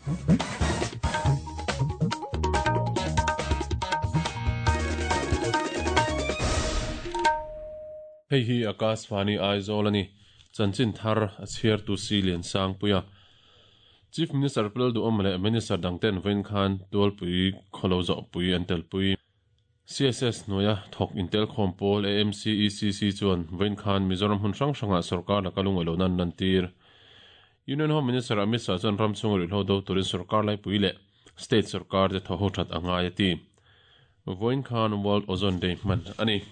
Hei hi Akashvani Aizawl a ni. Chanchin thar a chhiartu si Liansangpuia. Chief Minister Pu Lalduhawma leh Minister dangten vawiin khan Tualpui khawlo zawhpui an telpui. CSS hnuaia thawk intelkhawm pawl AMCECC chuan vawiin khan Mizoram hmun hrang hrangah sorkar laka lungawi lohna an lantir. Union Home Minister Amit Shah chuan ram chhunga ruihhlo do turin sorkar laipui leh state sorkar te thaw ho that a ngai a ti. Vawiin khan World Ozone Day hman a ni.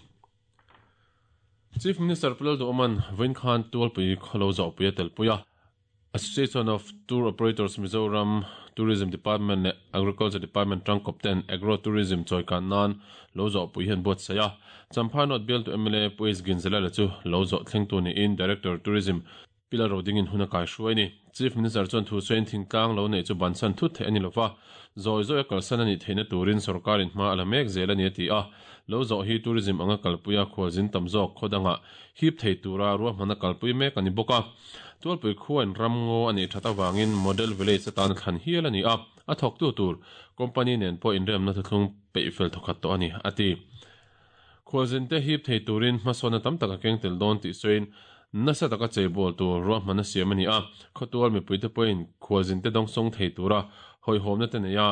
Chief Minister Pu Lalduhawma'n vawiin khan Tualpui khawlo zawhpui a telpui a. Association of Tour Operators Mizoram, Tourism Department leh Agriculture Department tangkawp ten Agro Tourism chawikan nan lo zawhpui hi an buatsaih a. Champhai North bialtu mla Pu H Ginzalala chu lo zawh thlengtu niin Director Tourism Pi Lalro dingin hun a kai hruai a ni. Chief Minister chuan thu sawiin thingtlang lo neih chu bansan thut theih a ni lova, zawi zawi a kalsan a nih theihna turin sorkarin hma a la mek zel a ni a ti a. Lo zawh hi tourism anga kalpuia khualzin tam zawk khaw dangah hip thei tura ruahmanna kalpui mek a ni bawk a. Tualpui khuain ramngaw a neih that avangin Model Village atan a thlan hial a ni a, a thawktu tur company nen pawh inremna thuthlung peih fel thawkhat tawh a ni, a ti. Khualzinte hip thei turin hmasawnna tam tak a keng tel dawn tih sawiin nasa taka cheibawl tur ruahmanna siam a ni a, khawtual mipuite pawhin khualzinte dawngsawng thei tura hawihhawmna te neih a,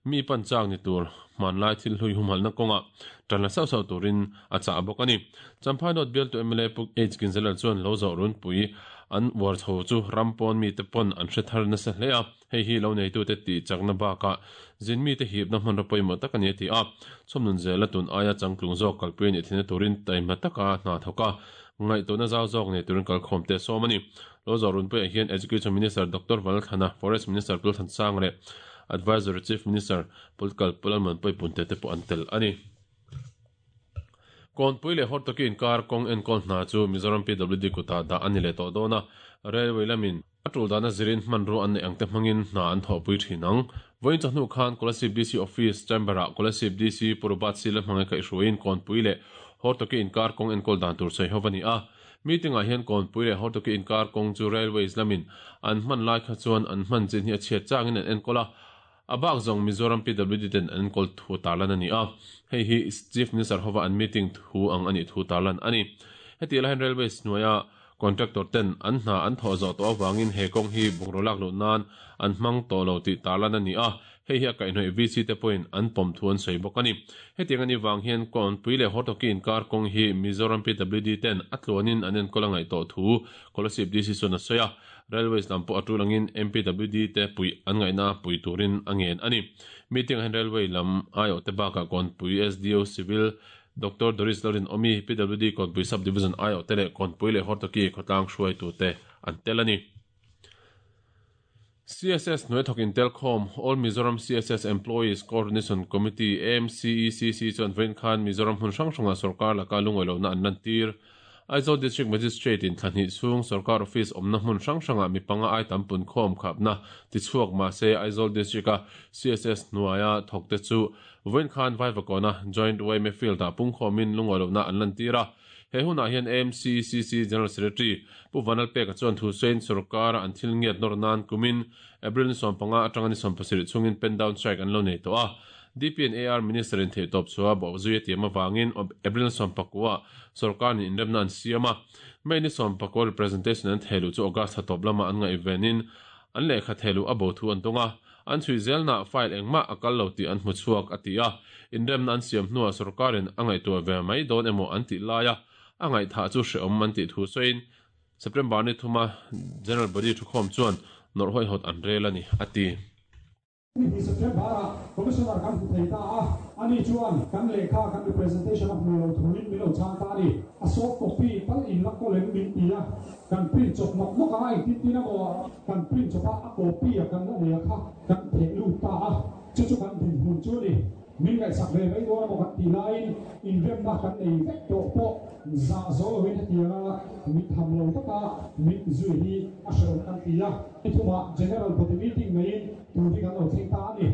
Mi pan chak ni tur hmanlai thil hlui humhalhna kawngah tan la sauh sauh turin a chah bawk a ni. Champhai North bialtu mla Pu H Ginzalal chuan lo zawh runpui an uar chho chu ram pawn mite pawn an hre thar nasa hle a, hei hi lo neitute tih chakna bakah zin mite hipna hmanraw pawimawh tak a ni a ti a. Chhawmnun zela tun aia changtlung zawk kalpui a nih theihna turin taima taka hna thawk a, ngaihtuahna zau zawk nei turin kalkhawmte a sawm a ni. Lo zawh runpuiah hian Education Minister Doctor Valthana, Forest Minister Pulthansang leh Advisory Chief Minister Political Pu Lalmuanpuii Punte te pawh an tel a ni. Kawnpui leh Hortoki inkar kawng enkawl hna chu Mizoram PWD kutah dah a ni leh tawh dawn a, Railway lamin a tul dana zirin hmanrua an neih ang te hmangin hna an thawhpui thin ang. Vawiin chawhnu khan Kolasib DC Office Chamber-ah Kolasib DC Pu Robert Sila hmangaih kaihhruaiin Kawnpui leh Hortoki inkar kawng enkawl dan tur sawi ho a ni a. Meeting ah hian Kawnpui leh Hortoki inkar kawng chu Railways lamin an hman lai kha chuan an hman chin hi a chhiat changin an enkawl a, a bak zawng Mizoram PWD ten an enkawl thu tarlan a ni a, hei hi Chief Minister hova an meeting thu ang a nih thu tarlan a ni. Hetiang lai hian Railways hnuaia contractor ten an hna an thawh zawh tawh avangin he kawng hi bungraw lak luh nan an hmang tawh lo tih tarlan a ni a, Hei hi a kaihhnawih VC te pawhin an pawm thu an sawi bawk a ni. Hetiang a nih vang hian Kawnpui leh Hortoki inkar kawng hi Mizoram PWD ten a tluanin an enkawl a ngaih tawh thu Kolasib DC chuan a sawi a. Railways lam pawh a tul angin MPWD te puih an ngaihna pui turin a ngen a ni. Meeting ah hian Railway lam aiawhte bakah Kawnpui SDO Civil Doctor Doris Lalrinawmi, PWD Kawnpui Sub Division aiawhte leh Kawnpui leh Hortoki khawtlang hruaitute an tel a ni. CSS hnuai thawk intelkhawm, All Mizoram CSS Employees Coordination Committee, AMCECC, chuan vawiin khan Mizoram hmun hrang hrangah sorkar laka lungawi lohna an lantir. Aizawl District Magistrate in thla hnih chhung sorkar office awmna hmun hrang hrangah mi panga ai tam punkhawm khapna tichhuak mahse Aizawl District-a CSS hnuaia thawkte chu vawiin khan Vaivakawna Joint yma Field-ah pungkhawmin lungawi lohna an lantir a. He hunah hian AMCCC General Secretary Pu Vanlalpeka chuan thu sawiin sorkara an thil ngiat nawr nan kumin April ni 15 atanga ni 17 chhungin pen down strike an lo nei tawh a. DP and AR Minister in theihtawp chhuah bawh zui a tiam avangin April ni 19 sorkar nen inremna an siam a. May ni 19 representation an thehluh chu August thla tawp lama an ngaihvenin an lehkha thehluh a bo thu an dawng a. An chhui zelnaah file engmah a kal lo tih an hmu chhuak, a ti a. Inremna an siam hnuah sorkarin a ngaihtuah ve mai dawn emaw an tih laia a ngaihthah chu hrehawm an tih thu sawiin September ni thuma General Body thukhawm chuan nawrh hawihhawt an rel a ni, a ti. Ni September-ah Commissioner kan hmu thei ta a, ani chuan kan lehkha kan representation a hmu lo thuin min lo chhang ta a ni. A soft copy tal in la kawl em min ti a. Kan print chawp nawk nawk a, engtin tin emaw kan print chawp a, a copy a kan la nei a kha kan theh lut ta a, chu chu kan dinhmun chu a ni. Min ngaihsak ve mai dawn emaw kan tih laiin inremna kan nei vek tawh pawh zah zo loin hetianga mit tham lo taka mit zui hi a hrehawm kan ti a, ni thumah General Body Meeting neiin tur hi kan lo thleng ta a ni.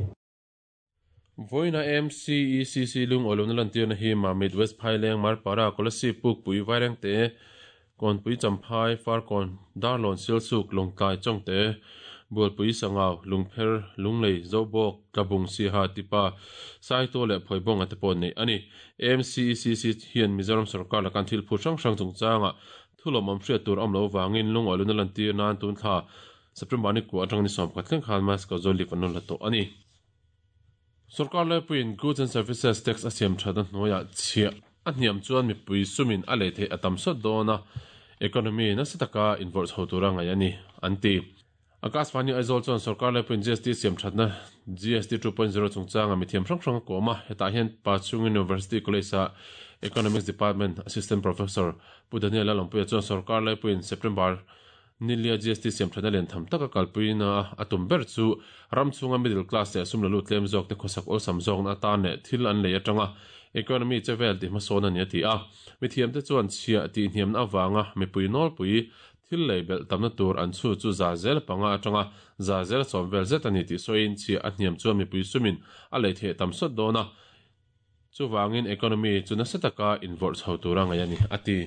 Vawiina MCECC lungawilohna lantirna hi Mamit, West Phaileng, Marpara, Kolasib, Pukpui, Vairengte, Kawnpui, Champhai, Farkawn, Darlawn, Silsuk, Lawngtlai, Chawngte, Bualpui, Sangau, Lungpher, Lunglei, Zobawk, Tlabung, Siaha, Tipa, Saitual leh Phawibawnga te pawh neih a ni. AMCECC hian Mizoram sorkar lakan thil phut hrang hrang chungchangah thu lawmawm hriat tur a awm loh avangin lungawi luna lantir nan tun thla September ni kua atanga ni 11 thleng khan mass casual leave an rawn la tawh a ni. Sorkar laipuiin Goods and Services Tax a siam thatna hnuaiah chhiah a hniam chuan mipui sumin a lei theih a tam sawt dawn a, economy nasa taka invawrh chho tura ngaih a ni, an ti. Akashvani Aizawl chuan sorkar laipuiin GST siam thatna GST 2.0 chungchanga mithiam hrang hrang a kawm a, hetah hian Pachhung University College-a Economics Department Assistant Professor Pu Daniel Lalawmpuia chuan sorkar laipuiin September Nilia GST siamthatna lian tham taka kalpuina a tum ber chu ram chhunga middle class leh sum la lut tlem zawkte khawsak awlsam zawkna atan leh thil an lei atanga economy che vel tih hmasawn a ni a ti a. Mithiamte chuan chhiah tih hniamna avanga mipui nawlpui thil lei belh tamna tur an chhu chu 5% atanga 10% vel zet a ni tih sawiin chhiah a hniam chuan mipui sumin a lei theih tam sawt dawn a, chuvangin economy chu nasa taka invawrh chho tura ngaih a ni a ti.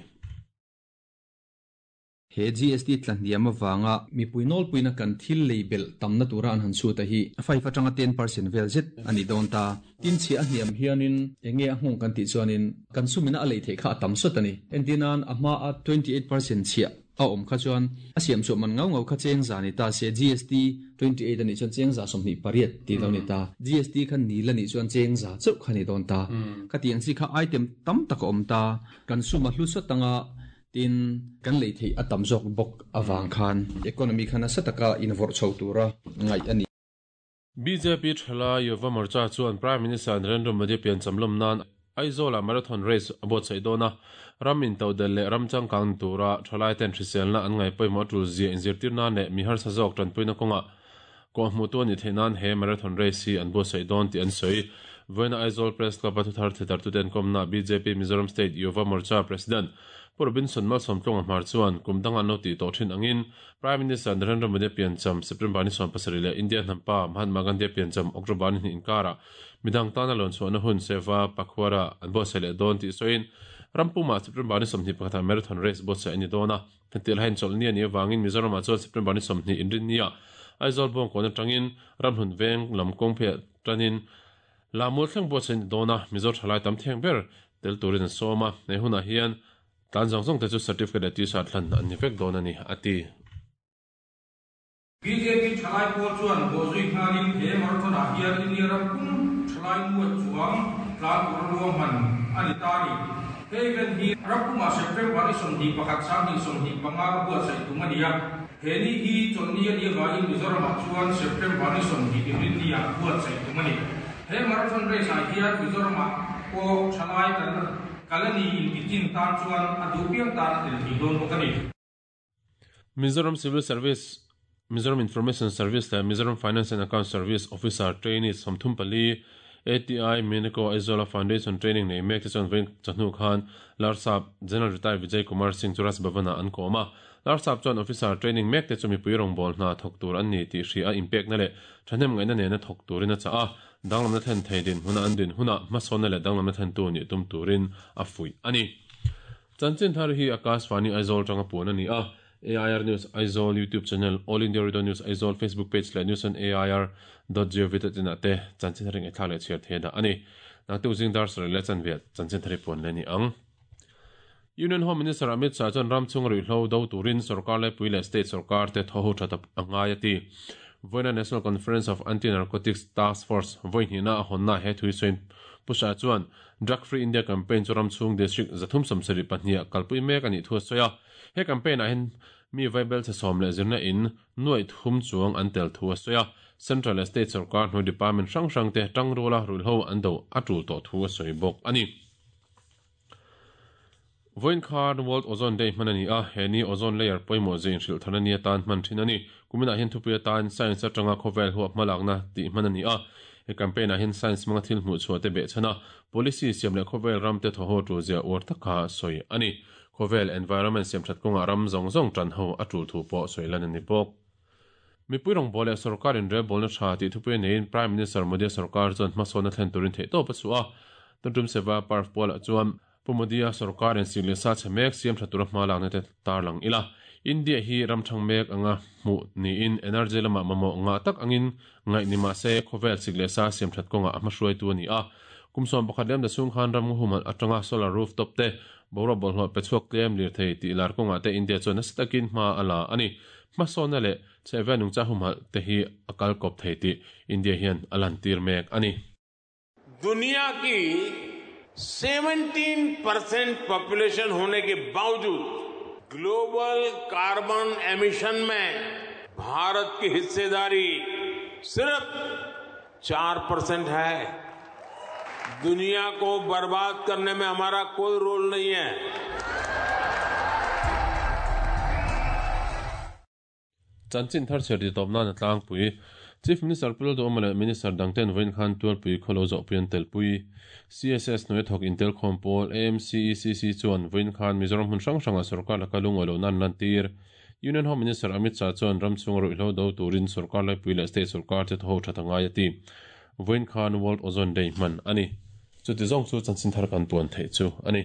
He GST tla hniam avanga mipui nawlpuina kan thil lei belh tamna tura an han chhut a hi 5 atanga 10% vel zet a ni dawn ta. Tin chhiah a hniam hianin eng nge a nghawng kan tih chuanin kan sumina a lei theih kha a tam sawt a ni. Entirnan a hma a 28% chhiah a awm kha chuan a siam chhuah man ngau ngau kha cheng za ni ta se GST 28 a nih chuan cheng 28% tih lo ni ta. GST kha nil a nih chuan cheng za chauh kha ni dawn ta. Khatiang chi kha item tam tak a awm ta. Kan sum a hlu sawt anga Tin, kan lei theih a tam zawk bawk avang khan economy kha nasa taka invawrh chho tura ngaih a ni. Bjp thalai Yuva Morcha chuan Prime Minister Narendra Modi piancham lawm nan Aizawl-ah marathon race a buatsaih dawn a, ram intodelh leh ram changkang ni tura thalai ten hriselna an ngaih pawimawh tul zia inzirtir nan leh mi harsa zawk tanpuina kawngah kawhhmuhtu a nih theih nan he marathon race hi an buatsaih dawn tih an sawi. Vawiina Aizawl Press Club-a thuthar thetartute an kawmnaah bjp Mizoram State Yuva Morcha President Pu Robinson Malsawmtluanga Hmar chuan kum danga an lo tih tawh thin angin Prime Minister Narendra Modi piancham September ni 17 leh India hnampa Mahatma Gandhi piancham October ni hnih inkarah midang tana lawn chhuahna hun Seva Pakhwara an buatsaih leh dawn tih sawiin ram pumah September ni 21 ah marathon race buatsaih a ni dawn a. Hetiang lahin chawlhni a nih avangin Mizoramah chuan September ni 20 inrinniah Aizawl Bawngkawn atangin Ramhlun Veng lam kawng pheiah tanin Lamul thleng buatsaih a ni dawn a, Mizo thalai tam theng ber tel turin an sawm a, he hunah hian tlan zawng zawng te chu certificate leh t-shirt hlan an ni vek dawn a ni, a ti. Bjp thalai pawl chuan bawhzui nghalin he marathon-ah hian India ram pum thalai nuaih chuang tlan tura ruahman a ni ta a ni. He event hi ram pumah September ni 21 2025 buatsaih tum a ni a. He ni hi chawlhni a nih avangin Mizoramah chuan September ni 20 Inrinni-ah buatsaih tum a ni. He marathon race-ah hian Mizoramah pawh thalai kan kal a ni inti chin tan chuan a duh piang tan a tel thei dawn bawk a ni. Mizoram Civil Service, Mizoram Information Service leh Mizoram Finance and Accounts Service Officer Trainee 34, ATI Minico Aizawla Foundation Training nei mek te chuan vawiin chawhnu khan Larsap General Retired Vijay Kumar Singh chu Raj Bhavan-ah an kawm a. Larsap chuan Officer Training mek te chu mipui rawngbâwl hna thawk tur an ni tih hria a inpekna leh thahnem ngaihna nena thawk turin a chah a, danglamna thlen thei dinhmuna an din hunah hmasawnna leh danglamna thlentu nih tum turin a fuih a ni. Chanchin thar hi Akashvani Aizawl atanga puan a ni a, AIR News Aizawl YouTube channel, All India Radio News Aizawl Facebook page leh News on AIR dot gov dot in ah te chanchin thar hi ngaihthlak leh chhiar thei a dah a ni. Nangte zing dar sarih leh chanve ah chanchin thar hi puan leh a ni ang. Union Home Minister Amit Shah chuan ram chhunga ruihhlo do turin sorkar laipui leh state sorkar te thaw ho that a ngai a ti. Vawiina National Conference of Anti-Narcotics Task Force vawi hnihna a hawnna he thui sawiin Pu Shah chuan Drug Free India Campaign chu ram chhung district 372 ah kalpui mek a nih thu a sawi a. He campaign ah hian mi vaibel chhe sawm leh zirna in nuaih thum chuang an tel thu a sawi a. Central leh state sorkar hnuai department hrang hrang te tangruala ruihhlo an do a tul tawh thu a sawi bawk a ni. Vawiin khan World Ozone Day hman a ni a, he ni ozone layer pawimawh zia inhrilh tharna ni atan hman thin a ni. Kuminah hian thupui atan Science atanga khawvel huap hmalakna tih hman a ni a. He campaign ah hian science hmanga thil hmuh chhuah te behchhan a, policy siam leh khawvel ram te thawhaw tul zia uar taka sawi a ni. Khawvel environment siam that kawngah ram zawng zawng tan ho a tul thu pawh sawi lan a ni bawk. Mipui rawngbâwl leh sorkar inrelbâwlna ṭha tih thupui a neiin Prime Minister Modi-a sorkar chuan hmasawnna thlen turin theihtawp a chhuah a. Tuntum Seva Parv pualah chuan Pu Modi-a sorkarin sik leh sa chhe mek siam ṭha tura hma lakna te tarlang ila. India hi ram thang mek anga hmuh niin energy lama mamawh ngah tak angin ngaih ni mahse khawvel sik leh sa siam that kawnga a hmahruaitu a ni a. Kum 11 liam ta chhung khan ram humhalh atanga solar rooftop te boruak bawlhhlawh pe chhuak tlem lirthei tih lar kawngah te India chuan nasa takin hma a la a ni. Hmasawnna leh chhehvel nungcha humhalh te hi a kal kawp thei tih India hian a lantir mek a ni. दुनिया की 17% population होने के बावजूद global carbon emission में भारत की हिस्सेदारी सिर्फ 4% है। दुनिया को बर्बाद करने में हमारा कोई रोल नहीं है। Chanchin thar chhiar ti tawp nan a tlangpui. Chief Minister Pu Lalduhawma leh Minister dangten vawiin khan Tualpui khaw lo zawhpui an telpui. CSS hnuai thawk intel khawm pawl AMCECC chuan vawiin khan Mizoram hmun hrang hrangah sorkar laka lungawi lohna an lantir. Union Home Minister Amit Shah chuan ram chhunga ruihhlo do turin sorkar laipui leh state sorkar te thaw that a ngai a ti. Vawiin khan World Ozone Day hman a ni. Chuti zawng chu chanchin thar kan puan theih chu a ni.